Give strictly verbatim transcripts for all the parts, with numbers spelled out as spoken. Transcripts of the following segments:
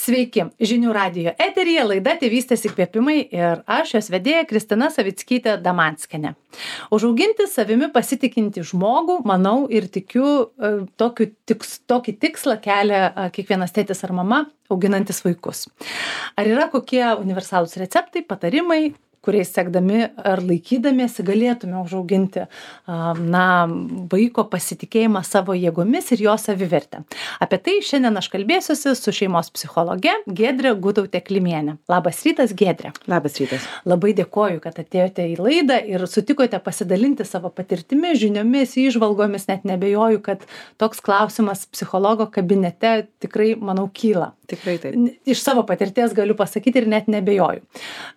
Sveiki, žinių radijo eteryje laida Tėvystės įkvėpimai ir aš jos vedėja Kristina Savickytė Damanskienė. Užauginti savimi pasitikinti žmogų, manau ir tikiu, tokiu, tiks, tokį tikslą kelia kiekvienas tėtis ar mama auginantis vaikus. Ar yra kokie universalūs receptai, patarimai, kuriais sekdami ar laikydamiesi galėtume užauginti na, vaiko pasitikėjimą savo jėgomis ir jo savivertę. Apie tai šiandien aš kalbėsiuosi su šeimos psichologe Giedre Gutautė-Klimienė. Labas rytas, Giedre. Labas rytas. Labai dėkoju, kad atėjote į laidą ir sutikote pasidalinti savo patirtimi, žiniomis, įžvalgomis, net nebejoju, kad toks klausimas psichologo kabinete tikrai, manau, kyla. Tikrai taip. Iš savo patirties galiu pasakyti ir net nebejoju.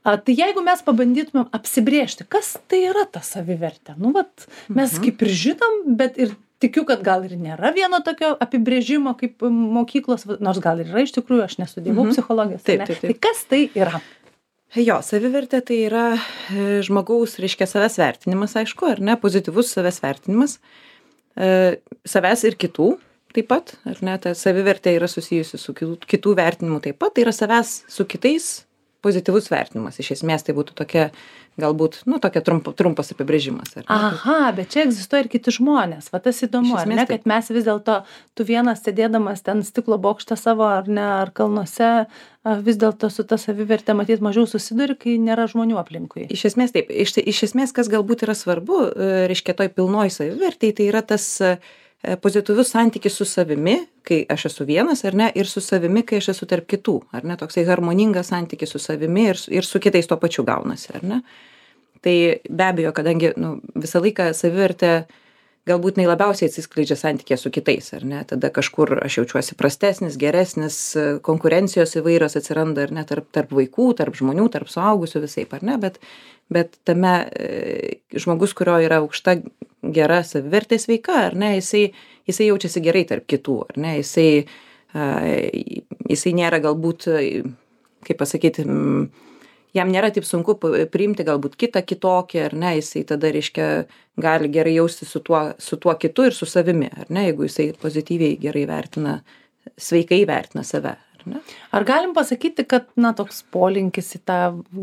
A, tai jeigu mes pabandytumėm apsibrėžti, kas tai yra ta savivertė? Nu, vat, mes mhm. kaip ir žinom, bet ir tikiu, kad gal ir nėra vieno tokio apibrėžimo kaip mokyklos, nors gal ir yra iš tikrųjų, aš nesudėjau mhm. psichologijos. Taip, taip, taip. Tai kas tai yra? Jo, savivertė tai yra žmogaus, reiškia, savęs vertinimas, aišku, ar ne, pozityvus savęs vertinimas, e, savęs ir kitų. Taip pat, ar ne, ta savivertė yra susijusi su kitų, kitų vertinimu taip pat, tai yra savęs su kitais pozityvus vertinimas. Iš esmės tai būtų tokia, galbūt, nu, tokia trump, trumpas apibrėžimas. Ar ne? Aha, bet čia egzistuoja ir kiti žmonės. Va tas įdomu, ar ne, kad mes vis dėlto, tu vienas sėdėdamas ten stiklo bokštą savo, ar ne, ar kalnuose, vis dėlto su ta savivertė matyt mažiau susiduri, kai nėra žmonių aplinkui. Iš esmės taip. Iš, iš esmės, kas galbūt yra svarbu, reiškia, toj pilnoj savivertėj, tai yra tas pozityvus santykis su savimi, kai aš esu vienas, ar ne, ir su savimi, kai aš esu tarp kitų, ar ne, toksai harmoningas santykis su savimi ir, ir su kitais tuo pačiu gaunasi, ar ne. Tai be abejo, kadangi nu, visą laiką savivertė galbūt nei labiausiai atsiskleidžia santykė su kitais, ar ne, tada kažkur aš jaučiuosi prastesnis, geresnis, konkurencijos įvairios atsiranda, ar ne, tarp, tarp vaikų, tarp žmonių, tarp suaugusių visaip, ar ne, bet, bet tame e, žmogus, kurio yra aukšta gera savivertė sveika, ar ne, jisai, jisai jaučiasi gerai tarp kitų, ar ne, jisai, a, jisai nėra galbūt, kaip pasakyti, jam nėra taip sunku priimti galbūt kitą kitokį, ar ne, jisai tada, reiškia, gali gerai jausti su tuo, su tuo kitu ir su savimi, ar ne, jeigu jisai pozityviai gerai vertina, sveikai vertina save. Ar ne? Ar galim pasakyti, kad, na, toks polinkis į tą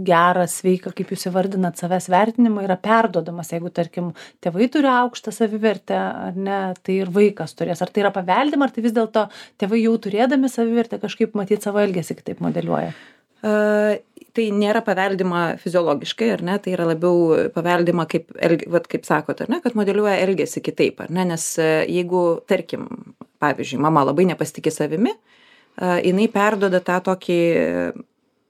gerą, sveiką, kaip jūs įvardinat, savęs vertinimą yra perduodamas, jeigu, tarkim, tėvai turi aukštą savivertę, ar ne, tai ir vaikas turės. Ar tai yra paveldima, ar tai vis dėlto tėvai jau turėdami savivertę kažkaip matyti savo elgesį kitaip modeliuoja? Uh, tai nėra paveldima fiziologiškai, ar ne, tai yra labiau paveldima, kaip, vat, kaip sakot, ar ne, kad modeliuoja elgesį kitaip, ar ne, nes jeigu, tarkim, pavyzdžiui, mama labai nepasitikė savimi, uh, jinai perduoda tą tokį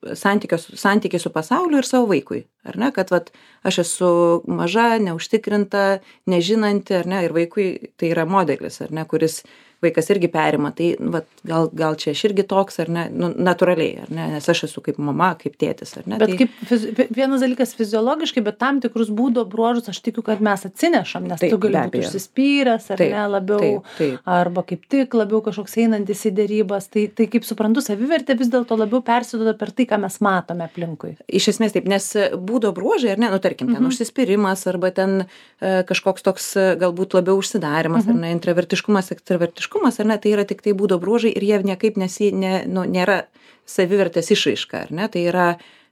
santykį su pasauliu ir savo vaikui, ar ne, kad vat, aš esu maža, neužtikrinta, nežinanti, ar ne, ir vaikui tai yra modelis, ar ne, kuris vaikas irgi perima, tai vat, gal, gal čia aš irgi toks, ar ne, nu, natūraliai, ar ne, nes aš esu kaip mama, kaip tėtis, ar ne. Bet tai... kaip fiz... vienas dalykas fiziologiškai, bet tam tikrus būdo bruožus aš tikiu, kad mes atsinešam, nes taip, tu gali būti užsispyręs, ar taip, ne, labiau, taip, taip. Arba kaip tik labiau kažkoks einantis į dėrybas, tai, tai kaip suprantu, savivertė vis dėlto labiau persiduoda per tai, ką mes matome aplinkui. Iš esmės taip, nes būdo bruožai, ar ne, nu tarkim, ten mhm. užsispyrimas, arba ten e, kažkoks toks galbūt labiau užsidarimas, mhm. ar ne, intravertiškumas, ekstravertiškumas, ar ne, tai yra tik tai būdo bruožai ir jie niekaip nesi, ne, nu, nėra savivertės išraiška, ar ne, tai yra,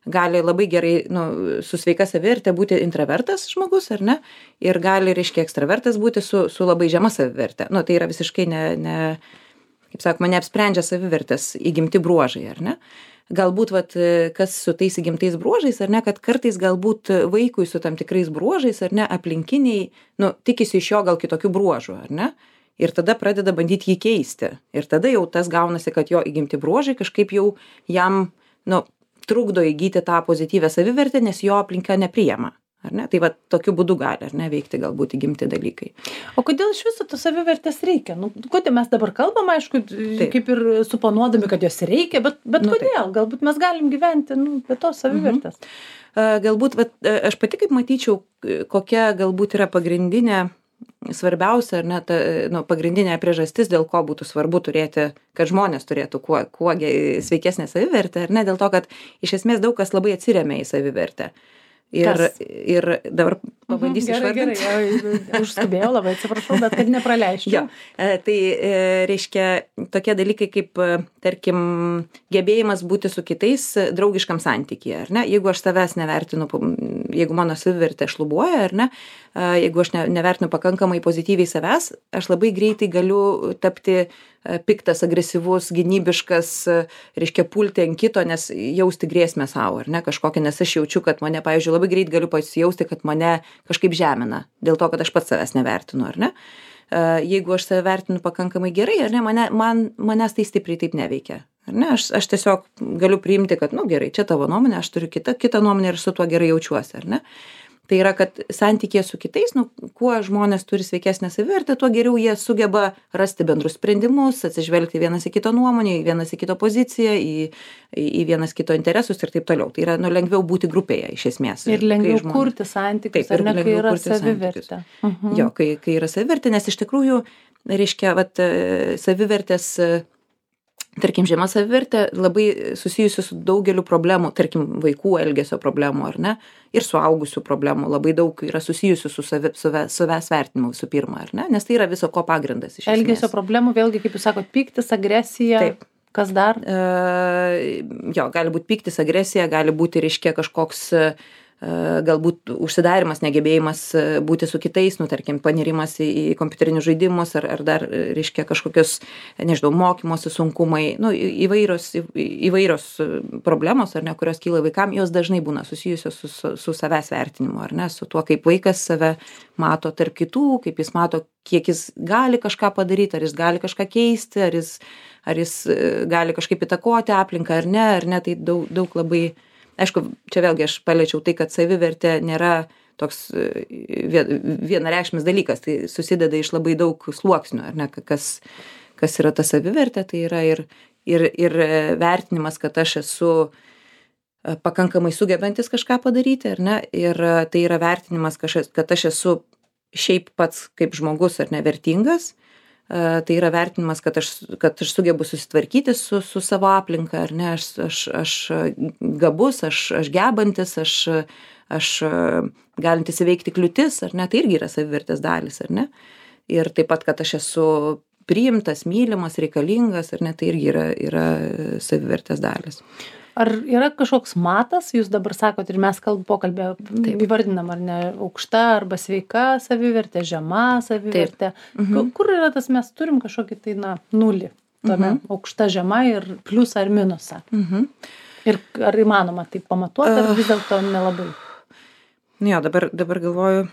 gali labai gerai, nu, su sveika savivertė būti intravertas žmogus, ar ne, ir gali, reiškia, ekstravertas būti su, su labai žema savivertė, nu, tai yra visiškai ne, ne, kaip sakoma, neapsprendžia savivertės įgimti bruožai, ar ne. Galbūt, vat, kas su tais įgimtais bruožais, ar ne, kad kartais galbūt vaikui su tam tikrais bruožais, ar ne, aplinkiniai, nu, tikisi iš jo gal kitokių bruožų, ar ne. Ir tada pradeda bandyti jį keisti. Ir tada jau tas gaunasi, kad jo įgimti bruožai kažkaip jau jam, nu, trukdo įgyti tą pozityvę savivertę, nes jo aplinka nepriima. Ar ne? Tai va tokiu būdu gali, ar ne, veikti galbūt įgimti dalykai. O kodėl iš viso tos savivertės reikia? Nu, kodėl mes dabar kalbam, aišku, taip, kaip ir suponuodami, kad jos reikia, bet, bet nu, kodėl? Taip. Galbūt mes galim gyventi, nu, be tos savivertės. Mhm. Galbūt, va, aš pati kaip matyčiau, kokia galbūt yra pagrindinė svarbiausia, ar ne, ta, nu, pagrindinė priežastis, dėl ko būtų svarbu turėti, kad žmonės turėtų kuo, kuo sveikesnę savivertę, ar ne, dėl to, kad iš esmės daug kas labai atsiremia į savivertę. Ir, ir dabar pabandysiu gerai, išvardinti. Gerai, užskubėjau, labai atsiprašau, bet kad nepraleisčiau. Jo, tai reiškia tokie dalykai kaip, tarkim, gebėjimas būti su kitais draugiškam santykyje, ar ne? Jeigu aš savęs nevertinu, jeigu mano savivertė šlubuoja, ar ne? Jeigu aš ne, nevertinu pakankamai pozityviai savęs, aš labai greitai galiu tapti piktas, agresyvus, gynybiškas, reiškia pulti ant kito, nes jausti grėsmę savo, ar ne, kažkokią, nes aš jaučiu, kad mane, pavyzdžiui, labai greit galiu pasijausti, kad mane kažkaip žemina, dėl to, kad aš pats savęs nevertinu, ar ne. Jeigu aš save vertinu pakankamai gerai, ar ne, mane, man, manęs tai stipriai taip neveikia. Ar ne, aš, aš tiesiog galiu priimti, kad, nu gerai, čia tavo nuomonė, aš turiu kitą, kitą nuomonę ir su tuo gerai jaučiuosi, ar ne. Tai yra, kad santykė su kitais, nu, kuo žmonės turi sveikesnę savivertę, tuo geriau jie sugeba rasti bendrus sprendimus, atsižvelgti vienas į kito nuomonę, į vienas į kito poziciją, į, į vienas kito interesus ir taip toliau. Tai yra, nu, lengviau būti grupėje iš esmės. Ir lengviau žmonės... kurti santykius, taip, ar ne, kai yra savivertė. Mhm. Jo, kai, kai yra savivertė, nes iš tikrųjų, reiškia, vat, savivertės, tarkim, žema savivertė labai susijusi su daugeliu problemų, tarkim, vaikų elgesio problemų, ar ne, ir suaugusių problemų. Labai daug yra susijusių su savi, savęs vertinimu visų pirma, ar ne, nes tai yra viso ko pagrindas iš esmės. Elgesio problemų, vėlgi, kaip jūs sakot, pyktis, agresija. Taip. Kas dar? E, jo, gali būti pyktis, agresija, gali būti, reiškia, kažkoks galbūt užsidarimas, negebėjimas būti su kitais, nu, tarkim, panirimas į, į kompiuterinius žaidimus ar, ar dar, reiškia, kažkokios, nežinau, mokymosi sunkumai, nu, įvairios, įvairios problemos, ar ne, kurios kyla vaikam, jos dažnai būna susijusios su, su, su savęs vertinimu, ar ne, su tuo, kaip vaikas save mato tarp kitų, kaip jis mato, kiek jis gali kažką padaryti, ar jis gali kažką keisti, ar jis, ar jis gali kažkaip įtakoti aplinką, ar ne, ar ne, tai daug, daug labai. Aišku, čia vėlgi aš paliečiau tai, kad savivertė nėra toks vienareikšmis dalykas, tai susideda iš labai daug sluoksnių, ar ne, kas, kas yra ta savivertė, tai yra ir, ir, ir vertinimas, kad aš esu pakankamai sugebantis kažką padaryti, ar ne, ir tai yra vertinimas, kad aš esu šiaip pats kaip žmogus, ar ne, vertingas. Tai yra vertinimas, kad aš, kad aš sugebu susitvarkyti su, su savo aplinka, ar ne, aš, aš, aš gabus, aš, aš gebantis, aš, aš galintis įveikti kliūtis, ar ne, tai irgi yra savivertės dalis, ar ne. Ir taip pat, kad aš esu priimtas, mylimas, reikalingas, ar ne, tai irgi yra, yra savivertės dalis. Ar yra kažkoks matas, jūs dabar sakot ir mes kalbų pokalbė įvardinam, ar ne, aukšta arba sveika savivertė, žema savivertė. Mhm. Kur yra tas, mes turim kažkokį tai, na, nulį, tame mhm. aukšta, žema ir pliusą ar minusą. Mhm. Ir ar įmanoma tai pamatuoti, ar vis dėlto nelabai? Jo, dabar, dabar galvoju,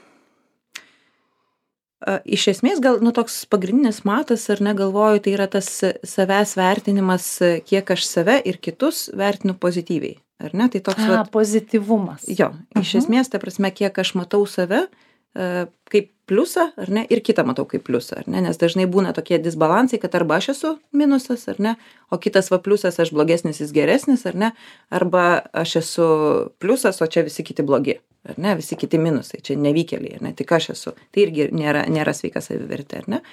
iš esmės gal, nu, toks pagrindinis matas, ar ne, galvoju, tai yra tas savęs vertinimas, kiek aš save ir kitus vertinu pozityviai, ar ne, tai toks... A, vat, pozityvumas. Jo, iš uh-huh. esmės, ta prasme, kiek aš matau save kaip pliusą, ar ne, ir kitą matau kaip pliusą, ar ne, nes dažnai būna tokie disbalansai, kad arba aš esu minusas, ar ne, o kitas va pliusas, aš blogesnis, jis geresnis, ar ne, arba aš esu pliusas, o čia visi kiti blogi, ar ne, visi kiti minusai, čia nevykėliai, ar ne, tik aš esu, tai irgi nėra, nėra sveika savivertė, ar ne,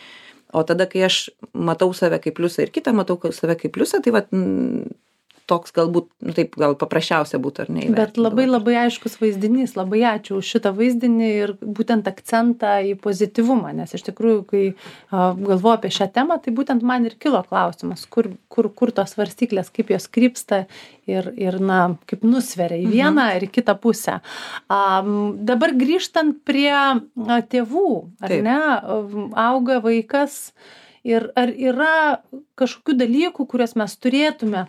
o tada, kai aš matau save kaip pliusą ir kitą matau save kaip pliusą, tai va toks galbūt, nu, taip gal paprasčiausia būtų, ar ne? Bet labai labai aiškus vaizdinys, labai ačiū už šitą vaizdinį ir būtent akcentą į pozityvumą, nes iš tikrųjų, kai a, galvoju apie šią temą, tai būtent man ir kilo klausimas, kur, kur, kur tos svarstyklės, kaip jos krypsta ir, ir na, kaip nusveria į vieną mhm. ir į kitą pusę. A, dabar grįžtant prie a, tėvų, ar taip. Ne, auga vaikas ir ar yra kažkokių dalykų, kuriuos mes turėtume,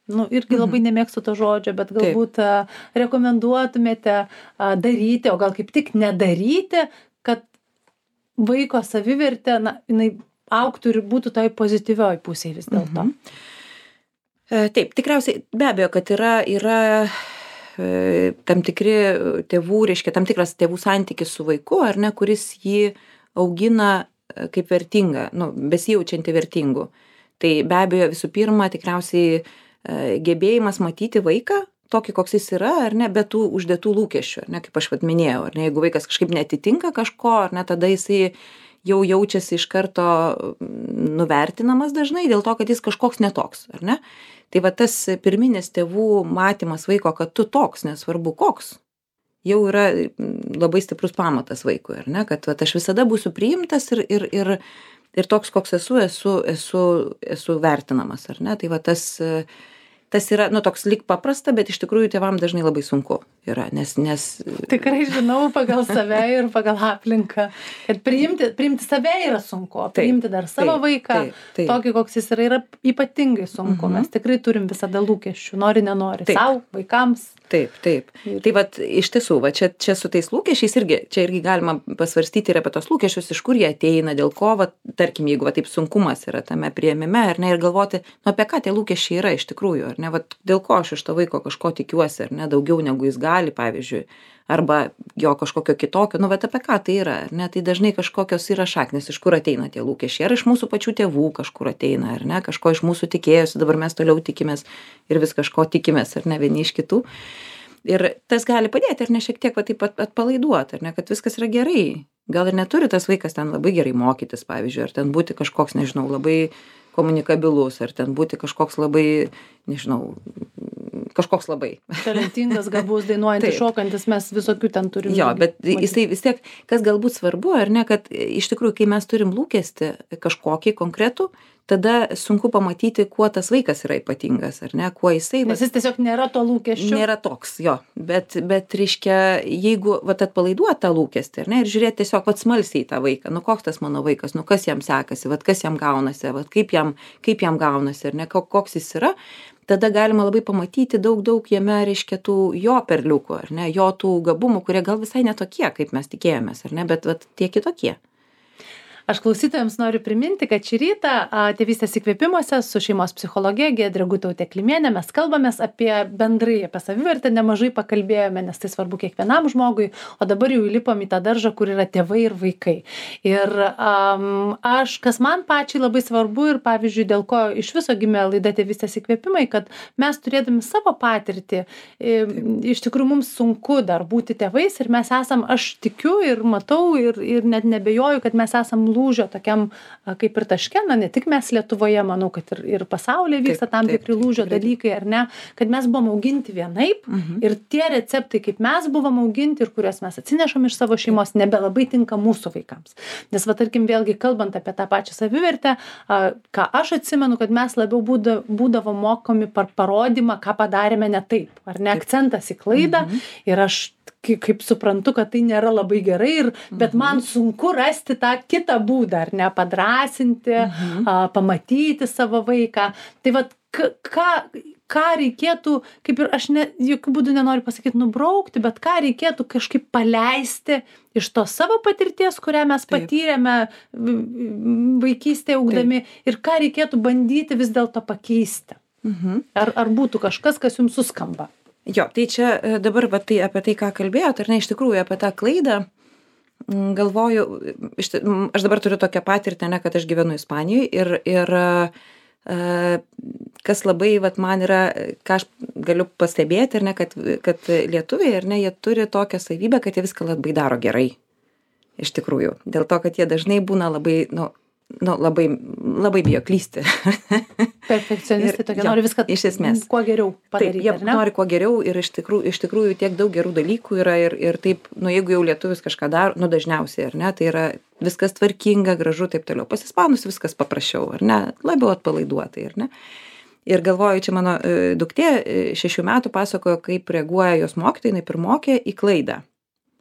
nu, irgi labai nemėgstu to žodžio, bet galbūt a, rekomenduotumėte a, daryti, o gal kaip tik nedaryti, kad vaiko savivertė, na, jinai augtų ir būtų toj pozityvioj pusėje vis dėlto. Mhm. Taip, tikriausiai, be abejo, kad yra, yra e, tam tikri tėvų, reiškia, tam tikras tėvų santykis su vaiku, ar ne, kuris jį augina kaip vertingą, nu, besijaučiantį vertingu. Tai be abejo, visų pirma, tikriausiai gebėjimas matyti vaiką, tokį, koks jis yra, ar ne, be tų uždėtų lūkesčių, ar ne, kaip aš vat minėjau, ar ne, jeigu vaikas kažkaip netitinka kažko, ar ne, tada jisai jau jaučiasi iš karto nuvertinamas dažnai dėl to, kad jis kažkoks netoks, ar ne. Tai va tas pirminis tėvų matymas vaiko, kad tu toks, nesvarbu koks, jau yra labai stiprus pamatas vaikui, ar ne, kad vat, aš visada būsiu priimtas ir, ir, ir, ir toks, koks esu, esu, esu, esu vertinamas, ar ne, tai va tas, tas yra, nu, toks lyg paprasta, bet iš tikrųjų tėvam dažnai labai sunku yra, nes, nes... Tikrai žinau pagal save ir pagal aplinką, kad priimti, priimti save yra sunku, o priimti dar savo taip, vaiką, taip, taip. tokį, koks jis yra, yra ypatingai sunku. Mhm. Mes tikrai turim visada lūkesčių, nori, nenori, savo, vaikams. Taip, taip. Ir... Tai vat, iš tiesų, va, čia, čia su tais lūkesčiais irgi, čia irgi galima pasvarstyti ir apie tos lūkesčius, iš kur jie ateina, dėl ko, va, tarkim, jeigu va, taip sunkumas yra tame priėmime, ar ne, ir galvoti, nu, apie ką tie lūkesčiai yra iš tikrųjų, ar ne, va, dėl ko aš iš to vaiko kažko tikiuosi, ar ne, daugiau negu jis gali, pavyzdžiui, arba jo kažkokio kitokio, nu, bet apie ką tai yra, ar ne, tai dažnai kažkokios yra šaknis, iš kur ateina tie lūkesčiai, ar iš mūsų pačių tėvų kažkur ateina, ar ne, kažko iš mūsų tikėjosi, dabar mes toliau tikimės ir vis kažko tikimės, ar ne, vieni iš kitų. Ir tas gali padėti, ar ne, šiek tiek va, taip atpalaiduoti, ar ne, kad viskas yra gerai. Gal ir neturi tas vaikas ten labai gerai mokytis, pavyzdžiui, ar ten būti kažkoks, nežinau, labai komunikabilus, ar ten būti kažkoks labai, nežinau, kažkoks labai. Talentingas, gabus, dainuojantis, šokantis, mes visokių ten turim. Jo, bet jisai vis tiek, kas galbūt svarbu, ar ne, kad iš tikrųjų, kai mes turim lūkestį kažkokį konkretų, tada sunku pamatyti, kuo tas vaikas yra ypatingas, ar ne, kuo jisai... Nes jis tiesiog nėra to lūkesčio. Nėra toks, jo, bet, bet reiškia, jeigu vat, atpalaiduot tą lūkestį, ar ne, ir žiūrėti tiesiog vat, smalsiai į tą vaiką, nu koks tas mano vaikas, nu kas jam sekasi, vat, kas jam gaunasi, vat, kaip, jam, kaip jam gaunasi, ar ne, koks jis yra, tada galima labai pamatyti daug, daug jame, reiškia, tų jo perliukų, ar ne, jo tų gabumų, kurie gal visai netokie, kaip mes tikėjomės, ar ne, bet vat, tie kitokie. Aš klausytojams noriu priminti, kad šį rytą Tėvystės įkvėpimuose su šeimos psichologe Giedre Gutaute Klimiene mes kalbamės apie bendrai, apie savivertę, nemažai pakalbėjome, nes tai svarbu kiekvienam žmogui, o dabar jau įlipom į tą daržą, kur yra tėvai ir vaikai. Ir um, aš, kas man pačiai labai svarbu ir pavyzdžiui, dėl ko iš viso gimė laida Tėvystės įkvėpimai, kad mes turėdami savo patirtį, iš tikrųjų mums sunku dar būti tėvais ir mes esam, aš tikiu ir matau ir, ir net nebejoju, kad mes esam lūžio tokiam kaip ir taške, na ne tik mes Lietuvoje, manau, kad ir, ir pasaulyje vyksta tam tikri lūžio dalykai, ar ne, kad mes buvom auginti vienaip mhm. ir tie receptai, kaip mes buvom auginti ir kuriuos mes atsinešam iš savo šeimos, nebelabai tinka mūsų vaikams. Nes va, tarkim, vėlgi kalbant apie tą pačią savivertę, ką aš atsimenu, kad mes labiau būda, būdavo mokomi par parodymą, ką padarėme ne taip, ar ne, akcentas į klaidą mhm. ir aš kaip suprantu, kad tai nėra labai gerai, ir, bet mhm. man sunku rasti tą kitą būdą, ar ne, padrasinti, mhm. a, pamatyti savo vaiką. Tai vat, ką, ką reikėtų, kaip ir aš ne, jokių būdų nenoriu pasakyti nubraukti, bet ką reikėtų kažkaip paleisti iš to savo patirties, kurią mes Taip. patyrėme vaikystėje augdami, Taip. ir ką reikėtų bandyti vis dėlto pakeisti. Mhm. Ar, ar būtų kažkas, kas jums suskamba? Jo, tai čia dabar va, tai, apie tai, ką kalbėjot, ar ne, iš tikrųjų apie tą klaidą, galvoju, iš, aš dabar turiu tokią patirtį, ne, kad aš gyvenu Ispanijoje ir, ir kas labai vat, man yra, ką aš galiu pastebėti, ar ne, kad, kad lietuviai, ar ne, jie turi tokią savybę, kad jie viską labai daro gerai, iš tikrųjų, dėl to, kad jie dažnai būna labai, nu, nu, labai, labai bijo klysti. Perfekcionistai tokie, nori viską iš esmės kuo geriau padaryti. Taip, jie ar ne? nori kuo geriau ir iš tikrųjų, iš tikrųjų tiek daug gerų dalykų yra ir, ir taip, nu jeigu jau lietuvis kažką daro, nu dažniausiai, ar ne, tai yra viskas tvarkinga, gražu, taip toliau. Pasispanus viskas paprasčiau, ar ne, labiau atpalaiduotai, ar ne. Ir galvoju, čia mano e, duktė e, šešių metų pasakojo, kaip reaguoja jos mokytojai, jinai pirmokė į klaidą.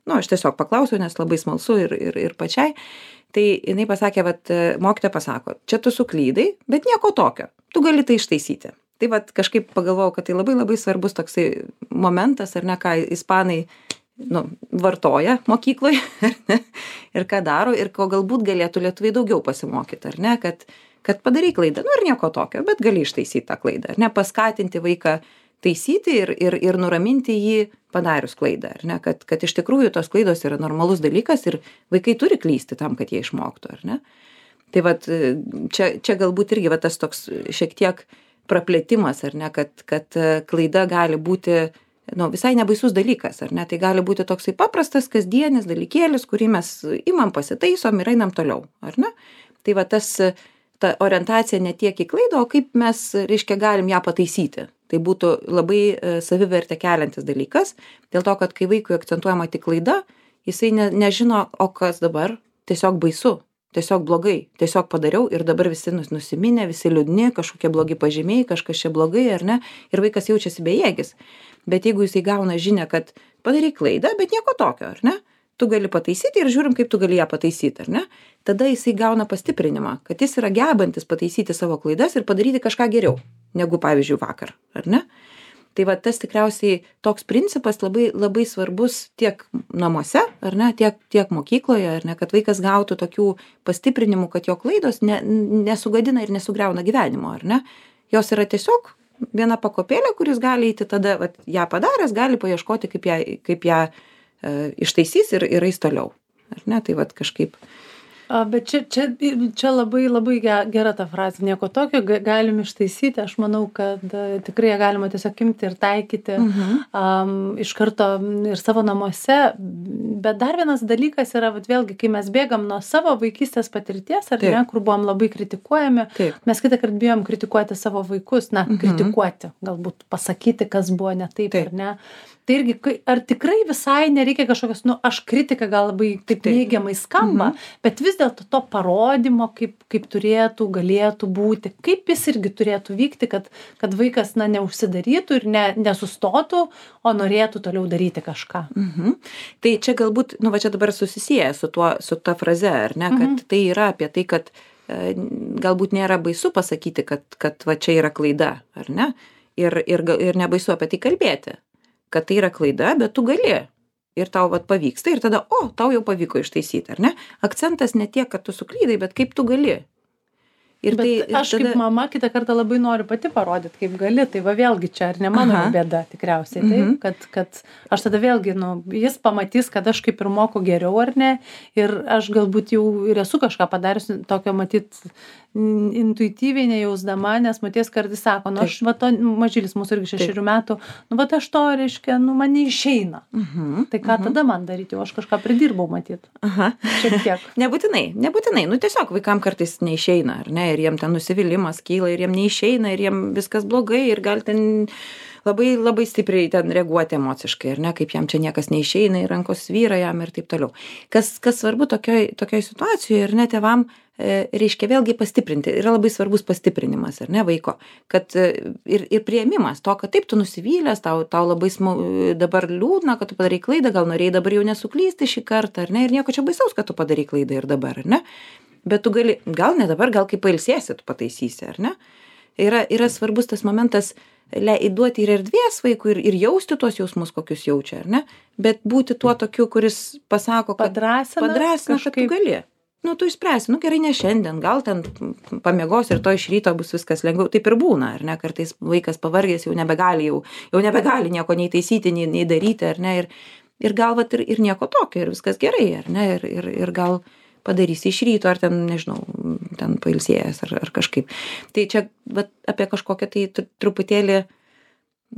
Nu, aš tiesiog paklausiau, nes labai smalsu ir, ir, ir pačiai. Tai jinai pasakė, vat, mokytoja pasako, čia tu suklydai, bet nieko tokio, tu gali tai ištaisyti. Tai vat kažkaip pagalvojau, kad tai labai labai svarbus toksai momentas, ar ne, ką ispanai nu, vartoja mokykloje, ar ne, ir ką daro, ir ko galbūt galėtų lietuviai daugiau pasimokyti, ar ne, kad, kad padarai klaidą, nu ir nieko tokio, bet gali ištaisyti tą klaidą, ar ne, paskatinti vaiką taisyti ir, ir, ir nuraminti jį padarius klaidą, ar ne, kad, kad iš tikrųjų tos klaidos yra normalus dalykas ir vaikai turi klysti tam, kad jie išmoktų, ar ne. Tai vat, čia, čia galbūt irgi va, tas toks šiek tiek praplėtimas, ar ne, kad, kad klaida gali būti nu, visai nebaisus dalykas, ar ne, tai gali būti toksai paprastas kasdienis dalykėlis, kurį mes imam, pasitaisom ir einam toliau, ar ne. Tai va tas ta orientacija ne tiek į klaidą, o kaip mes, reiškia, galim ją pataisyti. Tai būtų labai savivertę keliantis dalykas, dėl to, kad kai vaikui akcentuojama tik klaida, jisai ne, nežino, o kas dabar, tiesiog baisu, tiesiog blogai, tiesiog padariau ir dabar visi nusiminę, visi liūdni, kažkokie blogi pažymiai, kažkas čia blogai, ar ne, ir vaikas jaučiasi bejėgis. Bet jeigu jisai gauna žinią, kad padarai klaidą, bet nieko tokio, ar ne, tu gali pataisyti ir žiūrim, kaip tu gali ją pataisyti, ar ne, tada jisai gauna pastiprinimą, kad jis yra gebantis pataisyti savo klaidas ir padaryti kažką geriau, negu pavyzdžiui vakar, ar ne. Tai va tas tikriausiai toks principas labai, labai svarbus tiek namuose, ar ne, tiek, tiek mokykloje, ar ne, kad vaikas gautų tokių pastiprinimų, kad jo klaidos ne, nesugadina ir nesugriauna gyvenimo, ar ne. Jos yra tiesiog viena pakopėlė, kuris gali eiti tada, va, ją padaręs, gali paieškoti, kaip ją, kaip ją e, ištaisys ir, ir eis toliau, ar ne, tai va kažkaip. A, bet čia, čia, čia labai, labai gera ta frazė, nieko tokio, galim ištaisyti, aš manau, kad a, tikrai galima tiesiog imti ir taikyti uh-huh. um, iš karto ir savo namuose, bet dar vienas dalykas yra, vat, vėlgi, kai mes bėgam nuo savo vaikystės patirties, ar Taip. Ne, kur buvom labai kritikuojami, Taip. Mes kitą kartą bijom kritikuoti savo vaikus, na, uh-huh. kritikuoti, galbūt pasakyti, kas buvo ne taip, taip. Ar ne. Tai irgi, ar tikrai visai nereikia kažkokios, nu, aš kritika gal labai taip, taip. Neigiamai skamba, mhm. bet vis dėlto to parodymo, kaip, kaip turėtų, galėtų būti, kaip jis irgi turėtų vykti, kad, kad vaikas, na, neužsidarytų ir ne, nesustotų, o norėtų toliau daryti kažką. Mhm. Tai čia galbūt, nu, va čia dabar susisieja su tuo, su ta fraze, ar ne, kad mhm. tai yra apie tai, kad e, galbūt nėra baisu pasakyti, kad, kad va čia yra klaida, ar ne, ir, ir, ir nebaisu apie tai kalbėti. Kad tai yra klaida, bet tu gali. Ir tau vat pavyksta ir tada, o, tau jau pavyko ištaisyti, ar ne? Akcentas ne tiek, kad tu suklydai, bet kaip tu gali. Ir bet tai, ir aš tada... kaip mama kitą kartą labai noriu pati parodyti, kaip gali, tai va vėlgi čia ar ne mano Aha. Bėda tikriausiai, taip, mm-hmm. kad, kad aš tada vėlgi, nu, jis pamatys, kad aš kaip ir moku geriau ar ne, ir aš galbūt jau ir esu kažką padariusi tokio, matyt, intuityviai nejausdama, nes maties kartais sako, nu, aš, va, to, mažylis mūsų irgi šešerių metų, nu, va, aš to, reiškia, nu, man neišeina. Mm-hmm. Tai ką mm-hmm. tada man daryti, jau aš kažką pridirbau, matyt. Aha. Šiek tiek. Nebūtinai, nebūtinai, nu, tiesiog vaikam kartais neišeina, ar ne, ir jiem ten nusivylimas kyla, ir jiem neišeina, ir jiem viskas blogai, ir gal ten labai, labai stipriai ten reaguoti emociškai, ar ne, kaip jam čia niekas neišeina, ir rankos svyra jam ir taip toliau. Kas, kas svarbu tokioj, tokioj situacijoje, ir ne, tėvam, e, reiškia vėlgi pastiprinti, yra labai svarbus pastiprinimas, ar ne, vaiko, kad e, ir, ir priėmimas to, kad taip tu nusivylęs, tau, tau labai smu, dabar liūdna, kad tu padarai klaidą, gal norėjai dabar jau nesuklysti šį kartą, ar ne, ir nieko čia baisaus, kad tu padarai klaidą ir dabar, ar ne. Bet tu gali, gal ne dabar, gal kai pailsėsi, tu pataisysi, ar ne? Yra, yra svarbus tas momentas, duoti ir erdvės vaikui ir, ir jausti tuos jausmus, kokius jaučia, ar ne? Bet būti tuo tokiu, kuris pasako, kad padrasina, padrasina kad tu gali. Nu, tu išspręsi, nu gerai, ne šiandien, gal ten pamiegos ir to iš ryto bus viskas lengviau. Taip ir būna, ar ne? Kartais vaikas pavargęs jau nebegali, jau, jau nebegali nieko nei taisyti, nei, nei daryti, ar ne? Ir, ir gal vat ir, ir nieko tokio, ir viskas gerai, ar ne? Ir, ir, ir gal padarysi iš ryto, ar ten, nežinau, ten pailsėjęs, ar, ar kažkaip. Tai čia vat, apie kažkokią tai truputėlį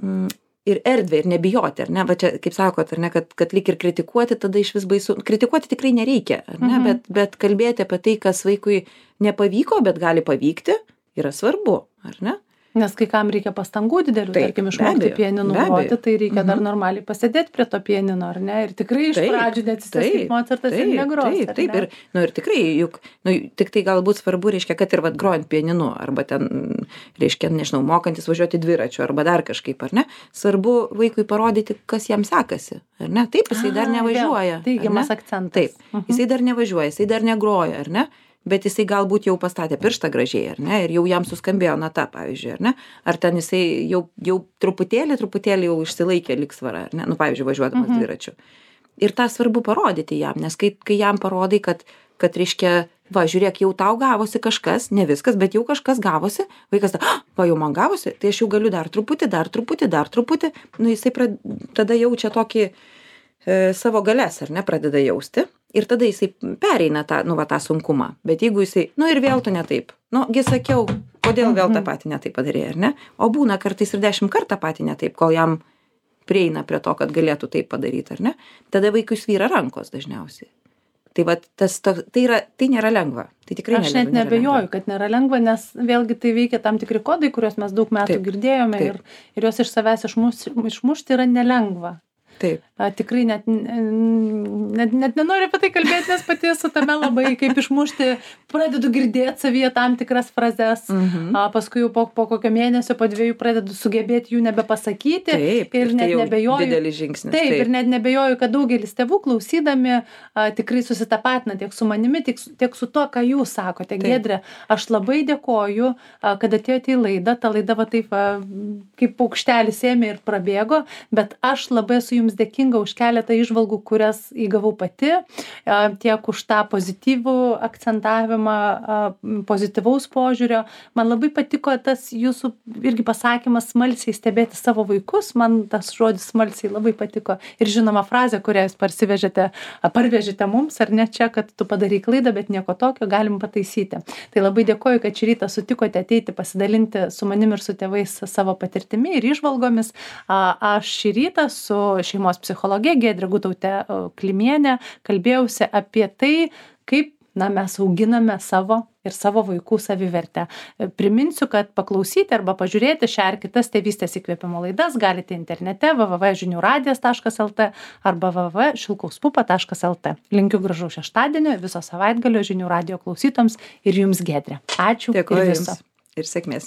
mm, ir erdvę, ir nebijoti, ar ne? Va čia, kaip sakot, ar ne, kad, kad lyg ir kritikuoti, tada iš vis baisu. Kritikuoti tikrai nereikia, ar ne? Mhm. Bet, bet kalbėti apie tai, kas vaikui nepavyko, bet gali pavykti, yra svarbu, ar ne? Nes kai kam reikia pastangų didelių, taip, tarkim, išmokti pianinu groti, tai reikia mhm. dar normaliai pasėdėti prie to pianino, ar ne? Ir tikrai iš taip, pradžių neatsisės kaip Mocartas ir negros. Taip, taip, ir, nu, ir tikrai, juk, nu, tik tai galbūt svarbu, reiškia, kad ir vat grojant pianinu, arba ten, reiškia, nežinau, mokantis važiuoti dviračiu, arba dar kažkaip, ar ne? Svarbu vaikui parodyti, kas jam sekasi, ar ne? Taip, jisai dar nevažiuoja. Teigiamas akcentas. Taip, mhm. jisai dar nevažiuoja, jisai dar negroja, ar ne? Bet jisai galbūt jau pastatė pirštą gražiai, ar ne, ir jau jam suskambėjo nata, pavyzdžiui, ar ne, ar ten jisai jau, jau truputėlį, truputėlį jau išsilaikė lygsvarą, ar ne, nu, pavyzdžiui, važiuodamas mhm. dviračiu. Ir tą svarbu parodyti jam, nes kai, kai jam parodai, kad, kad reiškia, va, žiūrėk, jau tau gavosi kažkas, ne viskas, bet jau kažkas gavosi, vaikas, ah, va, jau man gavosi, tai aš jau galiu dar truputį, dar truputį, dar truputį, nu, jisai prad, tada jaučia tokį e, savo galės, ar ne, pradeda jausti. Ir tada jisai pereina tą, nu, va, tą sunkumą. Bet jeigu jisai, nu, ir vėl tu ne taip. Nu, gi sakiau, kodėl vėl tą patį ne taip padarė, ar ne? O būna kartais ir dešimt kartą patį ne taip, kol jam prieina prie to, kad galėtų taip padaryti, ar ne? Tada vaikui svyra rankos dažniausiai. tai vat tas to tai yra tai nėra lengva. Tai tikrai Aš net nebejoju, kad nėra lengva, nes vėlgi tai veikia tam tikri kodai, kuriuos mes daug metų Taip, girdėjome taip. ir, ir juos iš savęs išmuš, išmušti yra nelengva. Taip. A, tikrai net, net, net nenoriu apie tai kalbėti, nes pati esu tame labai, kaip išmušti, pradedu girdėti savyje tam tikras frazes, Mhm. a, paskui jau po, po kokio mėnesio, po dviejų pradedu sugebėti jų nebepasakyti. Taip, ir ir tai net jau nebejoju. didelis žingsnis, Taip, taip. ir net nebejoju, kad daugelis tėvų klausydami a, tikrai susitapatina tiek su manimi, tiek, su- tiek su to, ką jūs sakote. Taip. Giedre, aš labai dėkoju, a, kad atėjote į laidą. Ta laida va taip, a, kaip paukštelis ėmė ir prabėgo, bet aš labai esu jums dėkinga už keletą įžvalgų, kurias įgavau pati, a, tiek už tą pozityvų akcentavimą, a, m, pozityvaus požiūrio. Man labai patiko tas jūsų irgi pasakymas smalsiai stebėti savo vaikus. Man tas žodis smalsiai labai patiko. Ir žinoma frazė, kurią jūs parsivežėte, a, parvežėte mums, ar ne čia, kad tu padarai klaidą, bet nieko tokio, galim pataisyti. Tai labai dėkoju, kad šį rytą sutikote ateiti pasidalinti su manim ir su tėvais savo patirtimi ir įžvalgomis. A, Aš šį rytą su šeimos psichologe Giedre Gutaute a, Klimiene kalbėjausi apie tai, kaip na, mes auginame savo ir savo vaikų savivertę. E, Priminsiu, kad paklausyti arba pažiūrėti šią ar kitas tėvystės įkvėpimo laidas galite internete w w w taškas žinių radijas taškas l t arba w w w taškas šilkaus pupa taškas l t. Linkiu gražaus šeštadienio, viso savaitgalio žinių radijo klausytoms ir jums, Giedre. Ačiū ir Dėkoju viso. jums ir sėkmės.